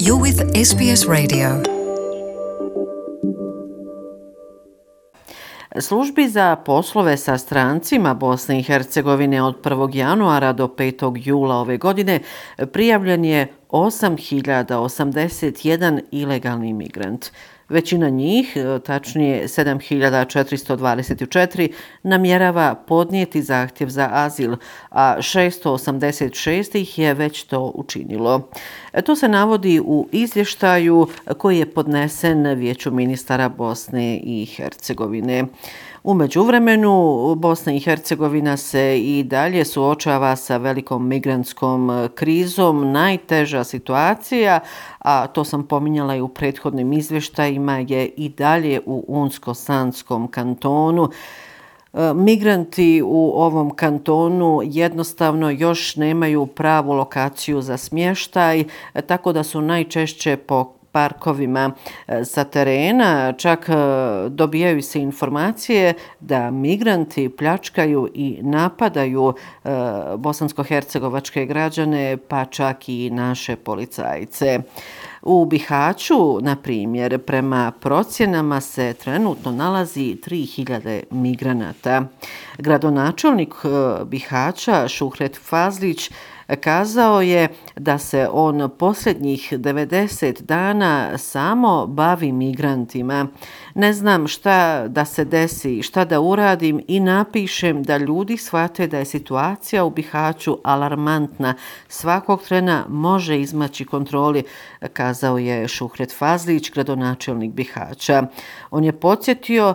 You're with SBS Radio. Službi za poslove sa strancima Bosne i Hercegovine od 1. januara do 5. jula ove godine prijavljen je 8.081 ilegalni migrant. Većina njih, tačnije 7.424, namjerava podnijeti zahtjev za azil, a 686 ih je već to učinilo. To se navodi u izvještaju koji je podnesen Vijeću ministara Bosne i Hercegovine. U međuvremenu Bosna i Hercegovina se i dalje suočava sa velikom migrantskom krizom. Najteža situacija, a to sam pominjala i u prethodnim izvještajima, je i dalje u Unsko-Sanskom kantonu. Migranti u ovom kantonu jednostavno još nemaju pravu lokaciju za smještaj, tako da su najčešće po parkovima sa terena. Čak dobijaju se informacije da migranti pljačkaju i napadaju bosansko-hercegovačke građane, pa čak i naše policajce. U Bihaću, na primjer, prema procjenama se trenutno nalazi 3000 migranata. Gradonačelnik Bihaća Šuhret Fazlić kazao je da se on posljednjih 90 dana samo bavi migrantima. Ne znam šta da se desi, šta da uradim i napišem da ljudi shvate da je situacija u Bihaću alarmantna. Svakog trena može izmaći kontroli, kazao je Šuhret Fazlić, gradonačelnik Bihaća. On je podsjetio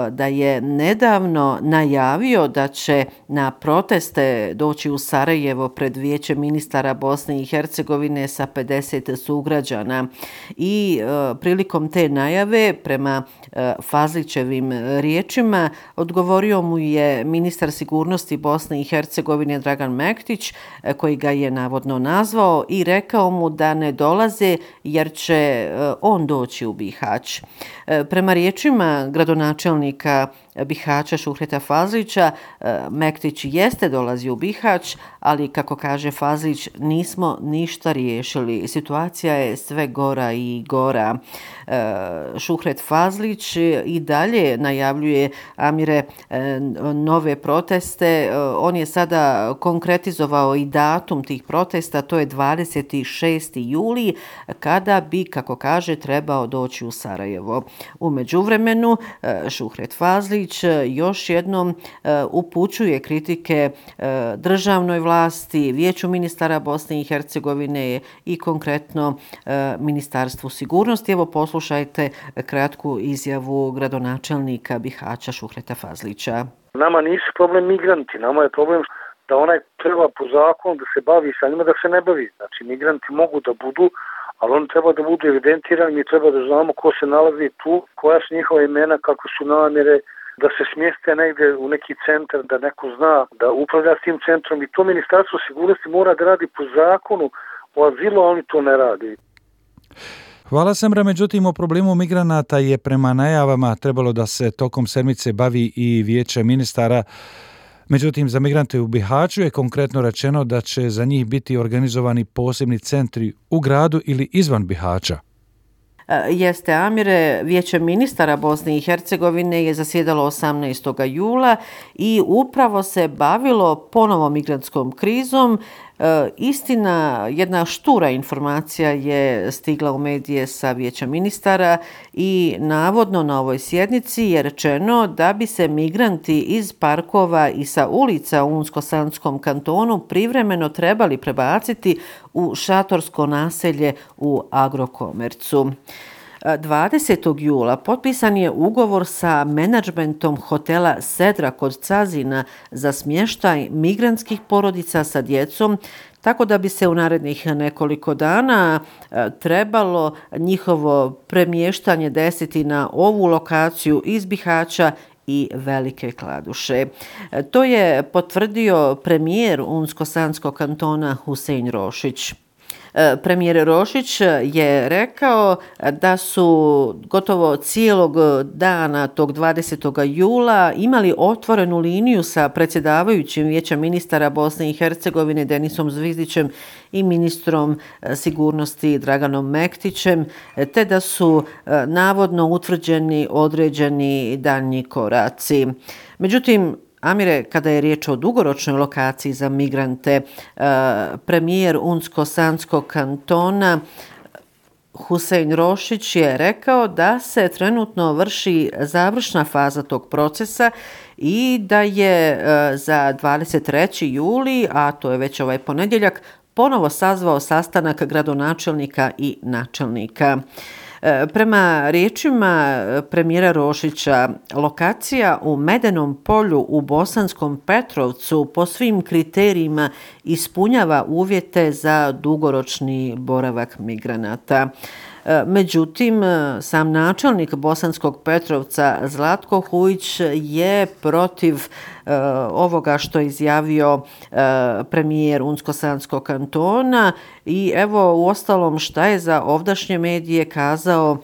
da je nedavno najavio da će na proteste doći u Sarajevo pred Vijeće ministara Bosne i Hercegovine sa 50 sugrađana i prilikom te najave, prema Fazlićevim riječima, odgovorio mu je ministar sigurnosti Bosne i Hercegovine Dragan Mektić, koji ga je navodno nazvao i rekao mu da ne dolaze jer će on doći u Bihać. Prema riječima gradonačelnika Bihaća Šuhreta Fazlića, Mektić jeste dolazio u Bihać, ali kako kaže Fazlić, nismo ništa riješili. Situacija je sve gora i gora. Šuhret Fazlić i dalje najavljuje, Amire, nove proteste. On je sada konkretizovao i datum tih protesta, to je 26. juli, kada bi, kako kaže, trebao doći u Sarajevo. U međuvremenu, Šuhret Fazlić još jednom upućuje kritike državnoj vlasti, Vijeću ministara Bosne i Hercegovine i konkretno Ministarstvu sigurnosti. Evo poslušajte kratku izjavu gradonačelnika Bihaća Šuhreta Fazlića. Nama nisu problem migranti, nama je problem da onaj treba po zakonu da se bavi sa njima, da se ne bavi. Znači migranti mogu da budu, ali oni treba da budu evidentirani, mi treba da znamo ko se nalazi tu, koja su njihova imena, kako su namjere, da se smjeste negdje u neki centar, da neko zna da upravlja s tim centrom, i to Ministarstvo sigurnosti mora da radi po zakonu o azilu, a oni to ne radi. Hvala Semra, međutim o problemu migranata je prema najavama trebalo da se tokom sedmice bavi i Vijeće ministara. Međutim, za migrante u Bihaću je konkretno rečeno da će za njih biti organizovani posebni centri u gradu ili izvan Bihaća. Jeste, Amire, Vijeće ministara Bosne i Hercegovine je zasjedalo 18. jula i upravo se bavilo ponovo migrantskom krizom. Istina, jedna štura informacija je stigla u medije sa Vijeća ministara i navodno na ovoj sjednici je rečeno da bi se migranti iz parkova i sa ulica u Unsko-Sanskom kantonu privremeno trebali prebaciti u šatorsko naselje u Agrokomercu. 20. jula potpisan je ugovor sa menadžmentom hotela Sedra kod Cazina za smještaj migrantskih porodica sa djecom, tako da bi se u narednih nekoliko dana trebalo njihovo premještanje desiti na ovu lokaciju iz Bihaća i Velike Kladuše. To je potvrdio premijer Unsko-Sanskog kantona Husein Rošić. Premijer Rošić je rekao da su gotovo cijelog dana tog 20. jula imali otvorenu liniju sa predsjedavajućim Vijeća ministara Bosne i Hercegovine Denisom Zvizdićem i ministrom sigurnosti Draganom Mektićem, te da su navodno utvrđeni određeni daljnji koraci. Međutim, Amire, kada je riječ o dugoročnoj lokaciji za migrante, premijer Unsko-Sanskog kantona Husein Rošić je rekao da se trenutno vrši završna faza tog procesa i da je za 23. juli, a to je već ovaj ponedjeljak, ponovo sazvao sastanak gradonačelnika i načelnika. Prema riječima premijera Rošića, lokacija u Medenom polju u Bosanskom Petrovcu po svim kriterijima ispunjava uvjete za dugoročni boravak migranata. Međutim, sam načelnik Bosanskog Petrovca Zlatko Hujić je protiv ovoga što je izjavio premijer Unsko-Sanskog kantona i evo uostalom šta je za ovdašnje medije kazao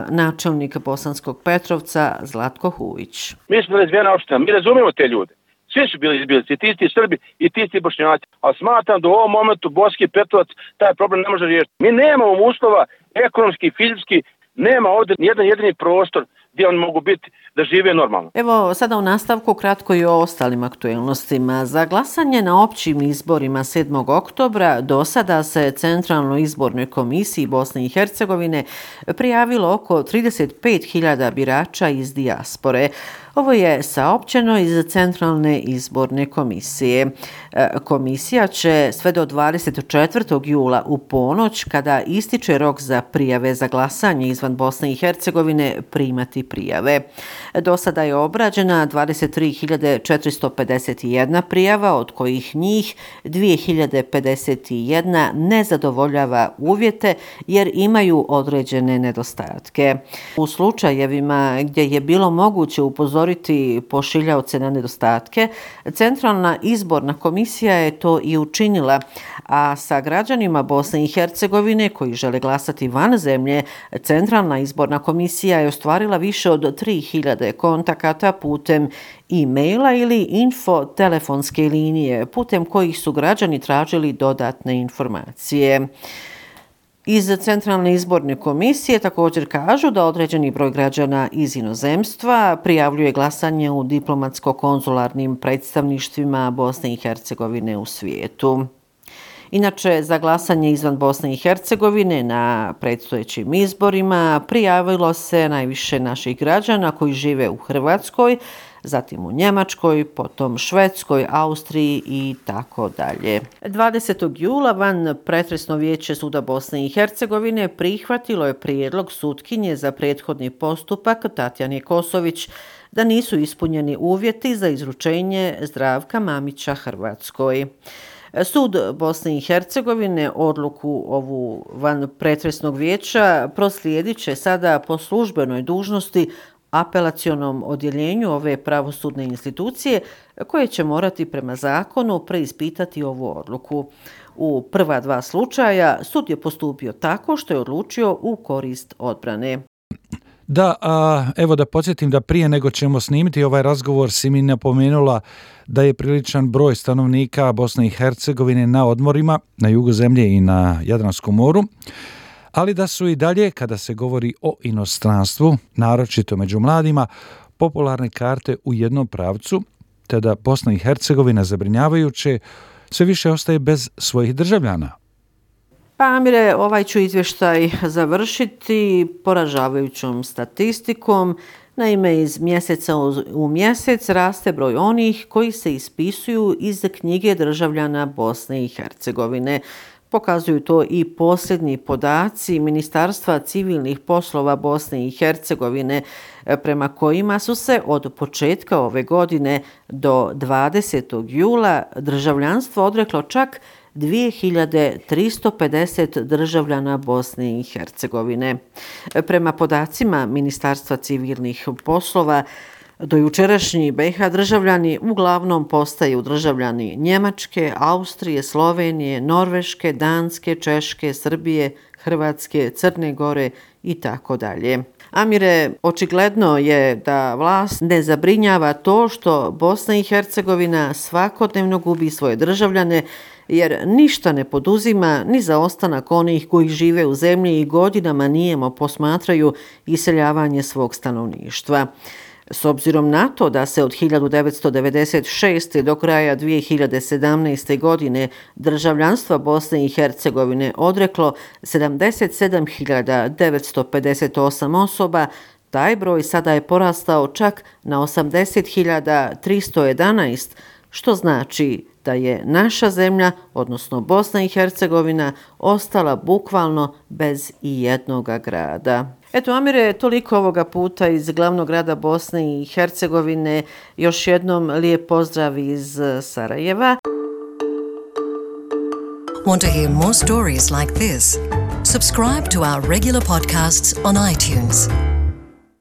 načelnik Bosanskog Petrovca Zlatko Hujić. Mi smo razvijena opština, mi razumijemo te ljude. Svi su bili izbjelici, ti isti Srbi i ti isti Bošnjaci. Ali smatram da u ovom momentu Bosanski Petrovac taj problem ne može riješiti. Mi nemamo uslova ekonomski, fizički, nema ovdje nijedan jedini prostor gdje oni mogu biti da žive normalno. Evo sada u nastavku kratko i o ostalim aktuelnostima. Za glasanje na općim izborima 7. oktobra do sada se Centralnoj izbornoj komisiji Bosne i Hercegovine prijavilo oko 35.000 birača iz dijaspore. Ovo je saopćeno iz Centralne izborne komisije. Komisija će sve do 24. jula u ponoć, kada ističe rok za prijave za glasanje izvan Bosne i Hercegovine, primati prijave. Do sada je obrađena 23.451 prijava, od kojih njih 2.051 ne zadovoljava uvjete jer imaju određene nedostatke. U slučajevima gdje je bilo moguće upozoriti pošiljaoce na nedostatke, Centralna izborna komisija je to i učinila, a sa građanima Bosne i Hercegovine koji žele glasati van zemlje, Centralna izborna komisija je ostvarila više od 3.000 kontakata putem e-maila ili info telefonske linije, putem kojih su građani tražili dodatne informacije. Iz Centralne izborne komisije također kažu da određeni broj građana iz inozemstva prijavljuje glasanje u diplomatsko-konzularnim predstavništvima Bosne i Hercegovine u svijetu. Inače, za glasanje izvan Bosne i Hercegovine na predstojećim izborima prijavilo se najviše naših građana koji žive u Hrvatskoj, zatim u Njemačkoj, potom Švedskoj, Austriji i tako dalje. 20. jula van pretresno vijeće Suda Bosne i Hercegovine prihvatilo je prijedlog sutkinje za prethodni postupak Tatjane Kosović da nisu ispunjeni uvjeti za izručenje Zdravka Mamića Hrvatskoj. Sud Bosne i Hercegovine odluku ovu van pretresnog vijeća proslijedit će sada po službenoj dužnosti apelacionom odjeljenju ove pravosudne institucije koje će morati prema zakonu preispitati ovu odluku. U prva dva slučaja sud je postupio tako što je odlučio u korist odbrane. Da, evo da podsjetim da prije nego ćemo snimiti ovaj razgovor si mi napomenula da je priličan broj stanovnika Bosne i Hercegovine na odmorima, na jugu zemlje i na Jadranskom moru, ali da su i dalje, kada se govori o inostranstvu, naročito među mladima, popularne karte u jednom pravcu, te da Bosna i Hercegovina zabrinjavajuće sve više ostaje bez svojih državljana. Pa Amire, ovaj ću izvještaj završiti poražavajućom statistikom. Naime, iz mjeseca u mjesec raste broj onih koji se ispisuju iz knjige državljana Bosne i Hercegovine. Pokazuju to i posljednji podaci Ministarstva civilnih poslova Bosne i Hercegovine, prema kojima su se od početka ove godine do 20. jula državljanstvo odreklo čak 2350 državljana Bosne i Hercegovine. Prema podacima Ministarstva civilnih poslova, Dojučerašnji BiH državljani uglavnom postaju državljani Njemačke, Austrije, Slovenije, Norveške, Danske, Češke, Srbije, Hrvatske, Crne Gore i tako dalje. Amire, očigledno je da vlast ne zabrinjava to što Bosna i Hercegovina svakodnevno gubi svoje državljane, jer ništa ne poduzima ni za ostanak onih koji žive u zemlji i godinama nijemo posmatraju iseljavanje svog stanovništva. S obzirom na to da se od 1996. do kraja 2017. godine državljanstva Bosne i Hercegovine odreklo 77.958 osoba, taj broj sada je porastao čak na 80.311, što znači da je naša zemlja, odnosno Bosna i Hercegovina, ostala bukvalno bez i jednoga grada. Eto, Amire, toliko ovoga puta iz glavnog grada Bosne i Hercegovine. Još jednom lijep pozdrav iz Sarajeva. Want to hear more stories like this? Subscribe to our regular podcasts on iTunes.